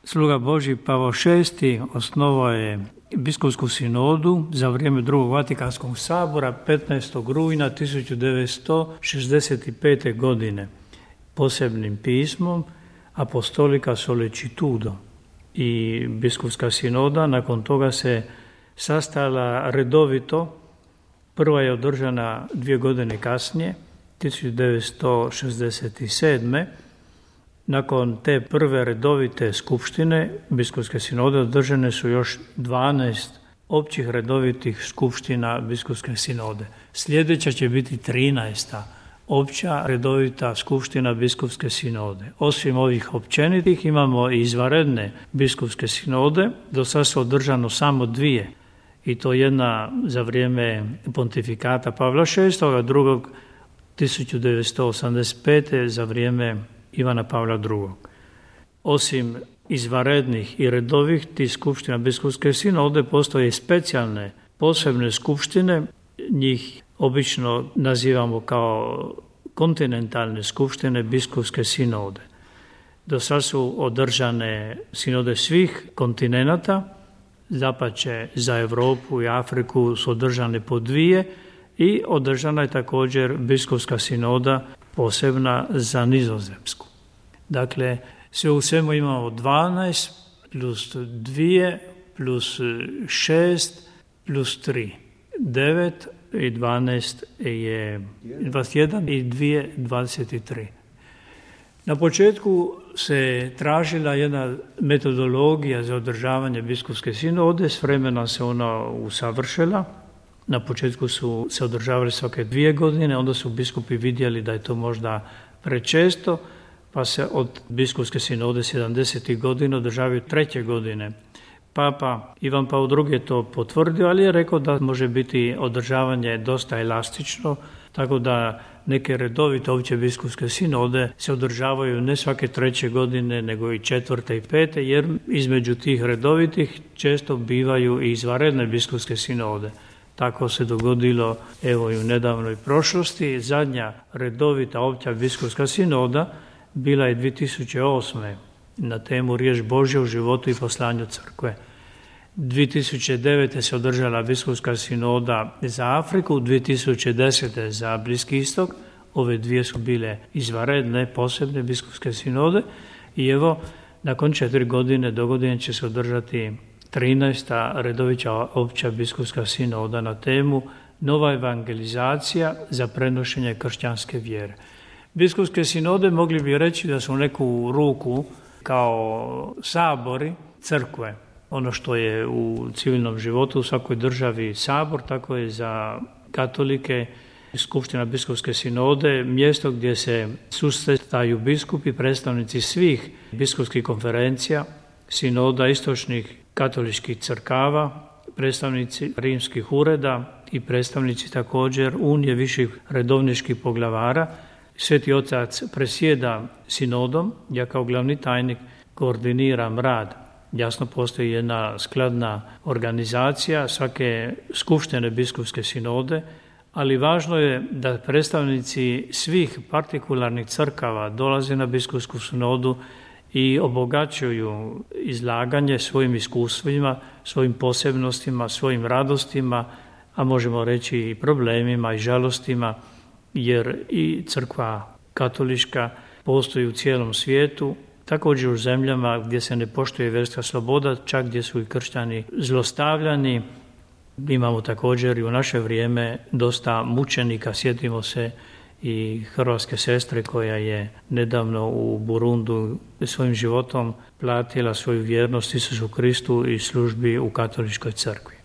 Sluga Božji Pavao VI osnovao je biskupsku sinodu za vrijeme drugog Vatikanskog sabora 15. rujna 1965. godine posebnim pismom Apostolica Sollecitudo i biskupska sinoda nakon toga se sastala redovito. Prva je održana 2 godine kasnije, 1967. Nakon te prve redovite skupštine biskupske sinode održane su još 12 općih redovitih skupština biskupske sinode. Sljedeća će biti 13. opća redovita skupština biskupske sinode. Osim ovih općenitih imamo i izvanredne biskupske sinode. Do sada su održano samo 2. I to jedna za vrijeme pontifikata Pavla VI, a drugog 1985. za vrijeme Ivana Pavla II. Osim izvanrednih i redovih tih skupština biskupske sinode postoje specijalne posebne skupštine. Njih obično nazivamo kao kontinentalne skupštine biskupske sinode. Do sada su održane sinode svih kontinenata, dapače za Europu i Afriku su održane po 2 i održana je također biskupska sinoda posebna za Nizozemsku. Dakle, sve u svemu imamo 12 plus 2 plus 6 plus 3. 9 i 12 je 21 i 2 23. Na početku se tražila jedna metodologija za održavanje biskupske sinode, s vremenom se ona usavršila. Na početku su se održavali svake 2 godine, onda su biskupi vidjeli da je to možda prečesto, pa se od biskupske sinode 70. godina održavaju 3. godine. Papa Ivan Pavao II je to potvrdio, ali je rekao da može biti održavanje dosta elastično, tako da neke redovite opće biskupske sinode se održavaju ne svake 3. godine, nego i 4. i 5. jer između tih redovitih često bivaju i izvanredne biskupske sinode. Tako se dogodilo evo i u nedavnoj prošlosti. Zadnja redovita opća biskupska sinoda bila je 2008. na temu Riječ Božja u životu i poslanju crkve. 2009. se održala biskupska sinoda za Afriku, 2010. za Bliski istok. Ove 2 su bile izvanredne, posebne biskupske sinode i evo, nakon 4 godine dogodine će se održati 13. redovita opća biskupska sinoda na temu Nova evangelizacija za prenošenje kršćanske vjere. Biskupske sinode mogli bi reći da su u neku ruku kao sabori crkve. Ono što je u civilnom životu u svakoj državi sabor, tako je za katolike skupština biskupske sinode mjesto gdje se susretaju biskupi, predstavnici svih biskupskih konferencija, sinoda istočnih katoličkih crkava, predstavnici rimskih ureda i predstavnici također Unije viših redovničkih poglavara. Sveti Otac presjeda sinodom, ja kao glavni tajnik koordiniram rad. Jasno postoji jedna skladna organizacija svake skupštine biskupske sinode, ali važno je da predstavnici svih partikularnih crkava dolaze na biskupsku sinodu i obogaćuju izlaganje svojim iskustvima, svojim posebnostima, svojim radostima, a možemo reći i problemima i žalostima, jer i crkva katolička postoji u cijelom svijetu, također u zemljama gdje se ne poštuje vjerska sloboda, čak gdje su i kršćani zlostavljani. Imamo također i u naše vrijeme dosta mučenika, sjetimo se i hrvatske sestre koja je nedavno u Burundu svojim životom platila svoju vjernost Isusu Kristu i službi u katoličkoj crkvi.